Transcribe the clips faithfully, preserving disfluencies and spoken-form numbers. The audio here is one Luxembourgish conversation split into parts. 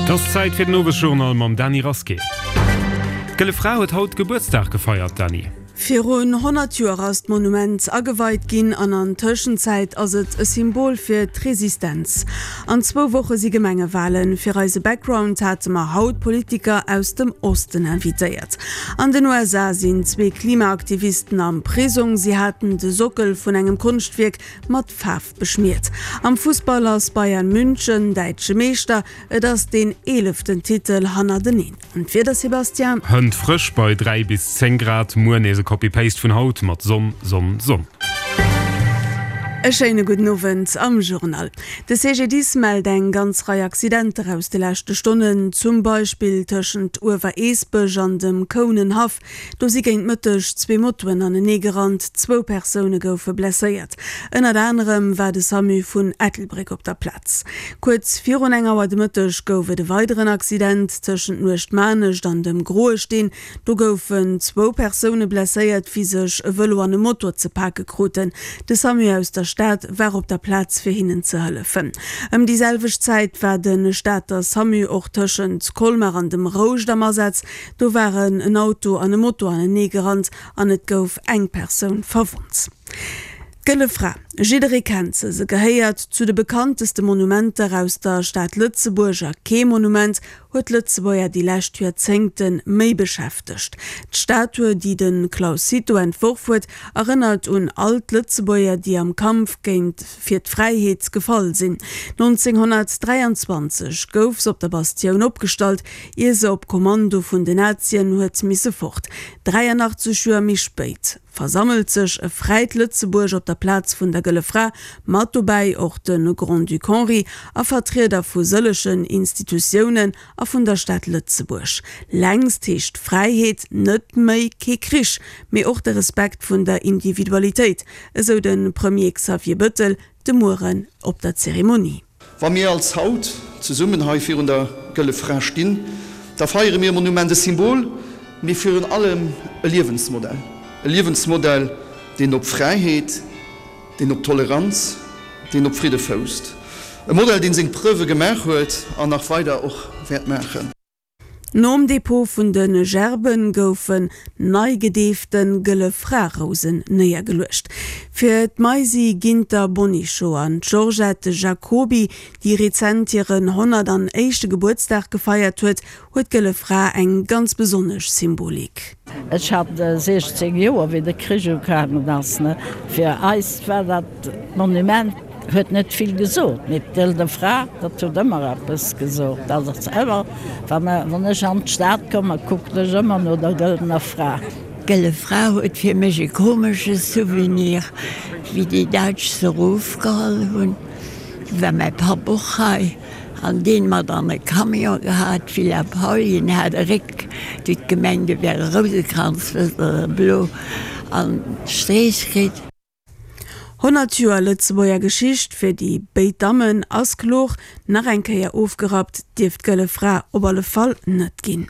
Et ass Zäit fir den Owesjournal mam Dany Rasqué. D'Gëlle Fra huet haut Gebuertsdag gefeiert, Dany. Virun honnert Joer ass d'Monument ageweit ginn an an Tëschenzäit ass et e Symbol fir d'Resistenz. An zwou Woche si Gemengewalen. Fir eise Background hate mer haut Politiker aus dem Osten invitéiert. An den U S A sinn zwee Klimaaktivisten am Prisong. Si haten de Sockel vun engem Konschtwierk mat Faarf beschmiert. Am Fussball ass Bayern München däitsche Meeschter. Et ass deen eeleften Titel hannerteneen. An d'Wieder, Sébastien? Hënt frësch bei dräi bis zéng Grad, muer nees e Copy-Paste vun haut mat Sonn, Sonn, Sonn. E schéine gudden Owend am Journal. De C G D I S mellt eng ganz Rei Accidenter aus de leschte Stonnen, zum Beispill tëschent Uewereesbech an dem Kounenhaff. Do si géint Mëtteg zwee Motoen anenee gerannt, zwou Persoune goufe blesséiert. Ënnert anerem war de SAMU vun Ettelbréck op der Plaz. Kuerz virun eng Auer de Mëtteg gouf et e weideren Accident tëschent Nuechtmanescht an dem Groesteen. Do goufen zwou Persoune blesséiert, wéi sech e Vëlo an e Motor ze pake kruten. De SAMU aus der Stad war op der Plaz fir hinnen ze hëllefen. Ëm déi selwecht Zäit war de Stater SAMU och tëschent Colmar an dem Rouscht am Asaz. Do waren en Auto an e Moto anenee gerannt an et gouf eng Persoun verwonnt. D'Gëlle Fra, jidderee kennt se, se gehéiert zu de bekannteste Monumenter aus der Stad Lëtzebuerg a kee Monument huet d'Lëtzebuerger déi lescht Joerzéngte méi beschäftegt. D'Statue, déi de Claus Cito entworf huet, erënnert un all d'Lëtzebuerger, déi am Kampf géint fir d'Fräiheet gefall sinn. neunzehnhundertdreiundzwanzeg gouf se op der Bastioun opgestallt, ier se op Kommando vun den Nazien huet misse fort. dräiundachtzeg Joer méi spéit versammelt sech e fräit Lëtzebuerg op der Plaz vun der Gëlle Fra, mat dobäi och de Grand-Duc Henri a Vertrieder vu sëllegen Institutiounen a vun der Stad Lëtzebuerg. Längst heescht Fräiheet net méi kee Krich, mee och de Respekt vun der Individualitéit, esou de Premier Xavier Bettel de Mueren op der Zeremonie. Wa mir als haut zesummen hei virun der Gëlle Fra stinn, da feiere mir e Monument, e Symbol, mee virun allem e Liewensmodell. E Liewensmodell, deen op Fräiheet, deen op Toleranz, deen op Fridde fousst. E Modell, deen seng Preuve gemaach huet an nach weider och wäert maachen. Nom Depot vun de Gerben goufen nei gedeefte Gëlle Fra-Rousen néiergeluecht. Fir d'Maisi Ginter Bonichot an d'Georgette Jacoby, déi rezent hiren honnertanéischte Gebuertsdag gefeiert huet, huet d'Gëlle Fra eng ganz besonnesch Symbolik. Ech hat sechzehn Joer, wéi de Krich ugaangen ass, ne? Fir eis war dat Monument huet net vill gesot. Mit Gëlle Fra, dat huet ëmmer eppes gesot. Dat ass ëmmer, wann, wann ech an d'Stad komme, kuckt ech ëmmer no der Gëllener Fra. Gëlle Fra huet fir mech e komesche Souvenir, wéi déi Däitsch se erofgeholl hunn. War mäi Papp och hei, an deen mat an e Camion gehat, Villa Paulien hat e Réck, déi d'Gemeng, de wär e Rousekranz, wësst der, e blo an Streech kritt. Honnert Joer Lëtzebuerger Geschicht fir déi béid Dammen ass kloer, nach eng Kéier ofgerappt dierft d'Gëlle Fra op alle Fall net ginn.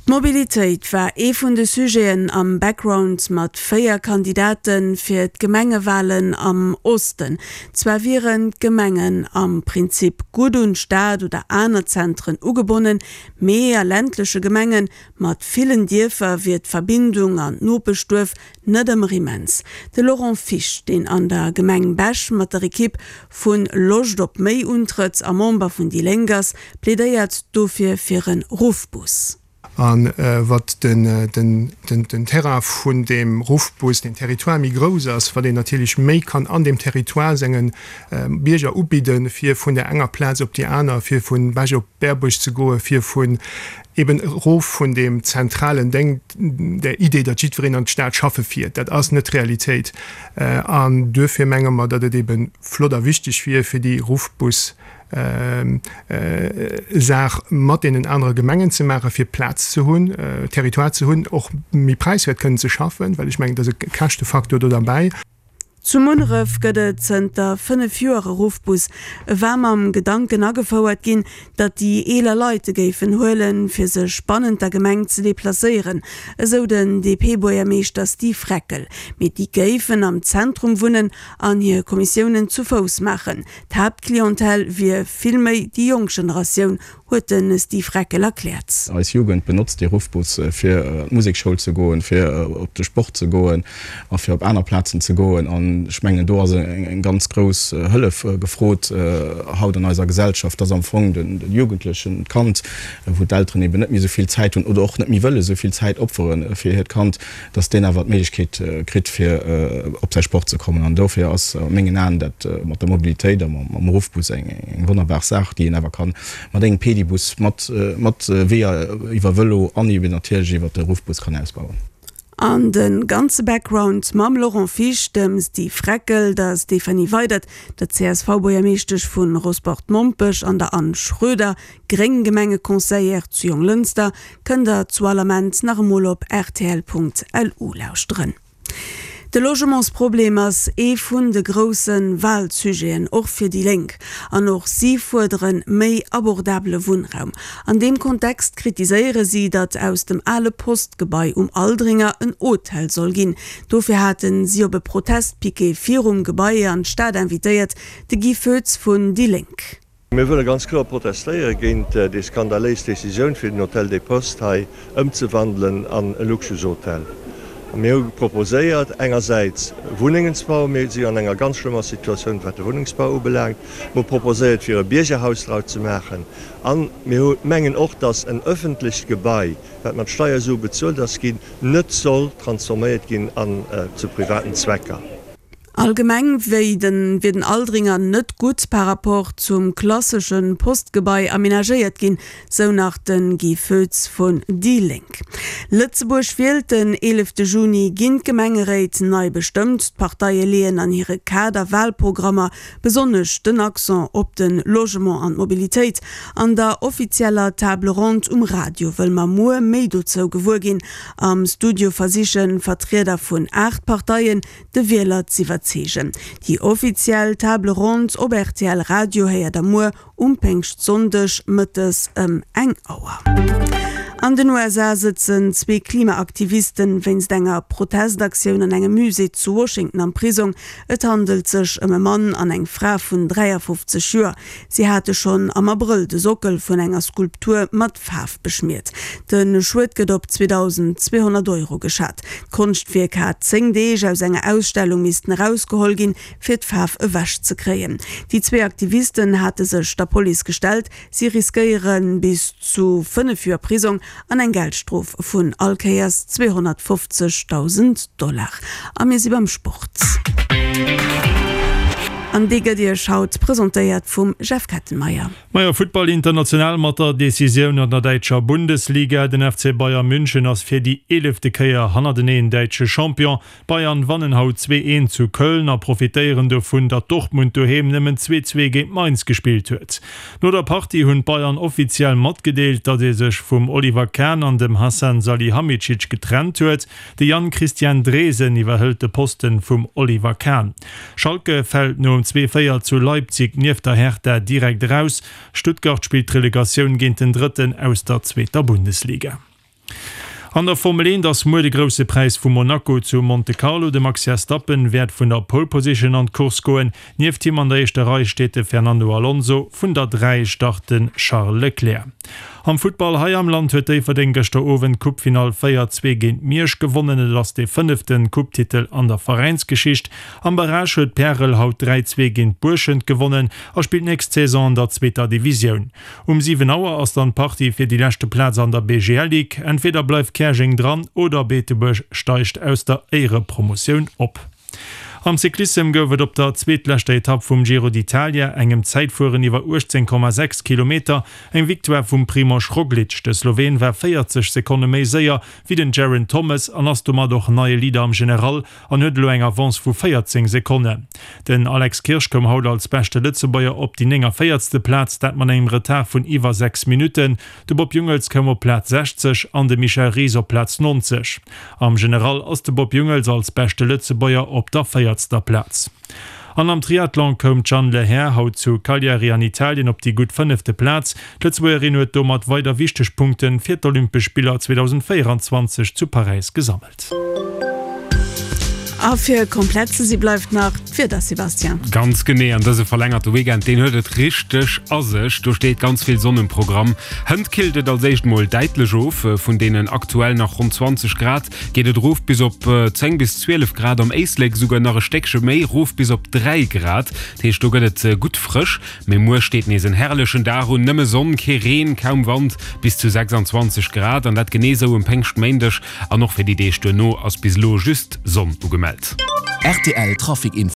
D'Mobilitéit war ee vun de Sujeten am Background mat véier Kandidaten fir d'Gemengewalen am Osten. Zwar wieren d'Gemengen am Prinzip gutt un d'Stad oder aner Zentren ugebonnen, mee a ländleche Gemengen mat villen Dierfer wier d'Verbindung an d'Nopeschduerf net ëmmer immens. De Laurent Fisch, deen an der Gemeng Bech mat der Ekipp vun Loscht op méi untrëtt a Member vun déi Lénk ass, plädéiert dofir fir en Ruffbus. An, äh, wat den, den, den, den Terrain vun dem Ruffbus, den Territoire méi grouss ass, wat een natierlech méi kann an dem Territoire sengen, äh, Bierger ubidden, fir vun der enger Plaz op déi aner, fir vun Bech op Berbuerg ze goen, fir vun eben erof vun dem zentralen Ding, der Idee, datt jiddwereen an d'Stad schaffe fiert. Dat ass net Realitéit. Äh, an duerfir menge mer, datt et eben flott a wichteg wier fir déi Ruffbus, ähm, äh, Saach mat deenen anere Gemengen ze maachen, fir Plaz ze hunn, äh, Territoire ze hunn, och méi preiswäert kënnen ze schaffen, well ech mengen, dat ass e Käschtefaktor do dabei. Zu Munneref gëtt et zënter fënnef Joer e Ruffbus. E war mam Gedanken agefouert ginn, datt déi eeler Leit e géifen huelen, fir sech bannent der Gemeng ze deplacéieren, esou den D P-Buergermeeschter Steve Reckel. Mee déi géifen am Zentrum wunnen an hir Kommissiounen zu Fouss maachen. D'Haaptklientel wier vill méi déi jonk Generatioun, huet de Steve Reckel erkläert. Eis Jugend benotzt dee Ruffbus fir an d'Musekschoul ze goen, fir op de Sport ze goen a fir op aner Plazen ze goen. An ech mengen do ass eng ganz grouss Hëllef gefrot haut an eiser Gesellschaft, dass am Fong de Jugendlechen, d'Kand, wou d'Elteren eben net méi esou vill Zäit hunn oder och net méi wëlle esou vill Zäit opfere fir hiert Kand, dass deen awer d'Méiglechkeet kritt fir op säi Sport ze kommen. An dofir ass a mengen Aen dat mat der Mobilitéit a mam Ruffbus eng wonnerbar Saach, déi een awer ka mat engem Pedibus, mat mat Weeër iwwer Vëlo an eben natierlech iwwer de Ruffbus kann ausbauen. An de ganze Background mam Laurent Fisch, dem Steve Reckel, der Stéphanie Weydert, der C S V-Buergermeeschtesch vu Rosport-Mompech an der Anne Schroeder, gréng Gemengeconseillère zu Jonglënster, kënnt der zu all Ament nach emol op rtl Punkt lu lauschteren. De Logementsproblem ass ee vun de grousse Walsujeten, och fir déi Lénk. An och si fuerdere méi abordabele Wunnraum. An deem Kontext kritiséiere si, datt aus dem ale Postgebai um Aldringer en Hotel soll ginn. Dofir hate si op e Protestpiquet virum Gebai an d'Stad invitéiert, de Guy Foetz vun déi Lénk. Mir wëlle ganz kloer protestéiere géint déi skandaléis Decisioun, fir den Hôtel des Postes hei ëmzewandelen an e Luxushotel. A mir hu proposéiert, engersäits Wunnengen ze bauen, mir si an enger ganz schlëmmer Situatioun, wat de Wunnengsbau ubelaangt, mir hu proposéiert, fir e Biergerhaus draus ze maachen, a mir hu mengen och, datt en öffentlecht Gebai, wat mat Steiersue bezuelt ass ginn, net soll transforméiert ginn an zu privaten Zwecker. Allgemeng wier den Aldringer net gutt par rapport zum klassesche Postgebai amenagéiert ginn, sou nach de Guy Foetz vun déi Lénk. Lëtzebuerg wielt den eelefte Juni ginn d'Gemengeréit nei bestëmmt. D'Parteie leeën an hire Kaderwalprogrammer besonnesch den Accent op de Logement an d'Mobilitéit. An der offizieller Table ronde um Radio wëll mer muer méi dozou gewuer ginn. Am Studio versiche Vertrieder vun aacht Parteien de Wieler z'iwwerzeegen. Déi offiziell Table ronde op R T L Radio héiert der muer um Péngschtsonndeg mëttes ëm eng Auer. An den U S A sëtzen zwee Klimaaktivisten wéinst enger Protestaktioun an engem Musée zu Washington am Prisong. Et handelt sech ëm e Mann an eng Fra vun dräiafofzeg Joer. Si hate schonn am Abrëll de Sockel vun enger Skulptur mat Faarf beschmiert. De Schued gëtt op zweetausendzweehonnert Euro geschat. D'Konschtwierk hat zéng Deeg aus enger Ausstellung missten erausgeholl ginn, fir d'Faarf ewech ze kréien. Déi zwee Aktivisten hate sech der Police gestellt. Si riskéiere bis zu fënnef Joer Prisong an eng Geldstrof vun all Kéiers zweehonnertfofzegdausend Dollar. A mir si beim Sport. An déi gëtt Iech haut presentéiert vum Jeff Kettenmeyer. Majo, Futtball international mat der Decisioun an der däitscher Bundesliga. Den F C Bayern München ass fir déi eelefte Kéier hannerteneen däitsche Champion. Bayern wannen haut zwee eent zu Köln a profitéieren dovun, datt Dortmund doheem nëmmen zwee zwee géint Mainz gespillt huet. No der Partie hunn d'Bayern offiziell matgedeelt, datt ee sech vum Oliver Kahn an dem Hassan Salihamidzic getrennt huet. De Jan-Christian Dresen iwwerhëlt de Posten vum Oliver Kahn. Schalke fält nom zwee véier zu Leipzig nieft der Hertha direkt raus. Stuttgart spielt d'Relegatioun géint den Drëtten aus der zweeter Bundesliga. An der Formel eent ass muer de grousse Präis vu Monaco zu Monte Carlo. De Max Verstappen wäert vun der Pole Position an d'Course goen. Nieft him an der éischter Rei steet de Fernando Alonso, vun der dräi start den Charles Leclerc. Am Futtball hei am Land huet Déifferdeng gëschter Owend d'Coupefinall véier zwee géint Miersch gewonnen. Et ass de fënneften Coupe-Titel an der Veräinsgeschicht. Am Barrage huet Pärel haut dräi zwee géint Buerschent gewonnen a spillt nächst Saison an der zweeter Divisioun. Um siwen Auer ass dann d'Partie fir déi leschte Plaz an der B G L Ligue. Entweder bleift Käerjeng dran oder Beetebuerg steigt aus der Éierepromotioun op. Am Cyclissem gouf et op der zweetleschter Etapp vum Giro d'Italia, engem Zäitfueren iwwer uechtzéng Komma sechs Kilometer, eng Victoire vum Primož Roglič. De Sloween war véierzeg Sekonne méi séier wéi den Geraint Thomas an ass domat och neie Leader am General an huet elo eng Avance vu véierzéng Sekonne. Den Alex Kirsch koum haut als beschte Lëtzebuerger op déi néngaféierzte Plaz, dat mat engem Retard vun iwwer sechs Minutten. De Bob Jungels koum op Plaz sechzeg an de Michel Ries op Plaz neunzeg. Am General ass de Bob Jungels als beschte Lëtzebuerger op der véierter Platz. An am Triathlon koum Jeanne Lehair haut zu Cagliari an Italien op déi gutt fënnefte Plaz. D'Lëtzebuergerin huet domat weider wichteg Punkte fir d'Olympesch Spiller zweetausendvéieranzwanzeg zu Paräis gesammelt. A fir komplett ze si bleift nach d'Wieder, Sébastien. Ganz genee, an dëse verlängerte Weekend, deen huet et richteg a sech. Do steet ganz vill Sonn um Programm. Hënt killt et als éischt mol däitlech of, vun deenen aktuell nach ronn zwanzeg Grad geet et erof bis op zéng bis zwielef Grad, am Éislek esouguer nach e Stéckche méi, erof bis op dräi Grad. Dat heescht, do gëtt et gutt frësch. Mee muer steet nees en herrlechen Dag un, nëmme Sonn, kee Reen, kaum Wand, bis zu sechsandzwanzeg Grad an dat genee sou um Péngschtméindeg. An och fir déi Deeg duerno ass bis elo just Sonn ugemellt. Rtl Trafic Info.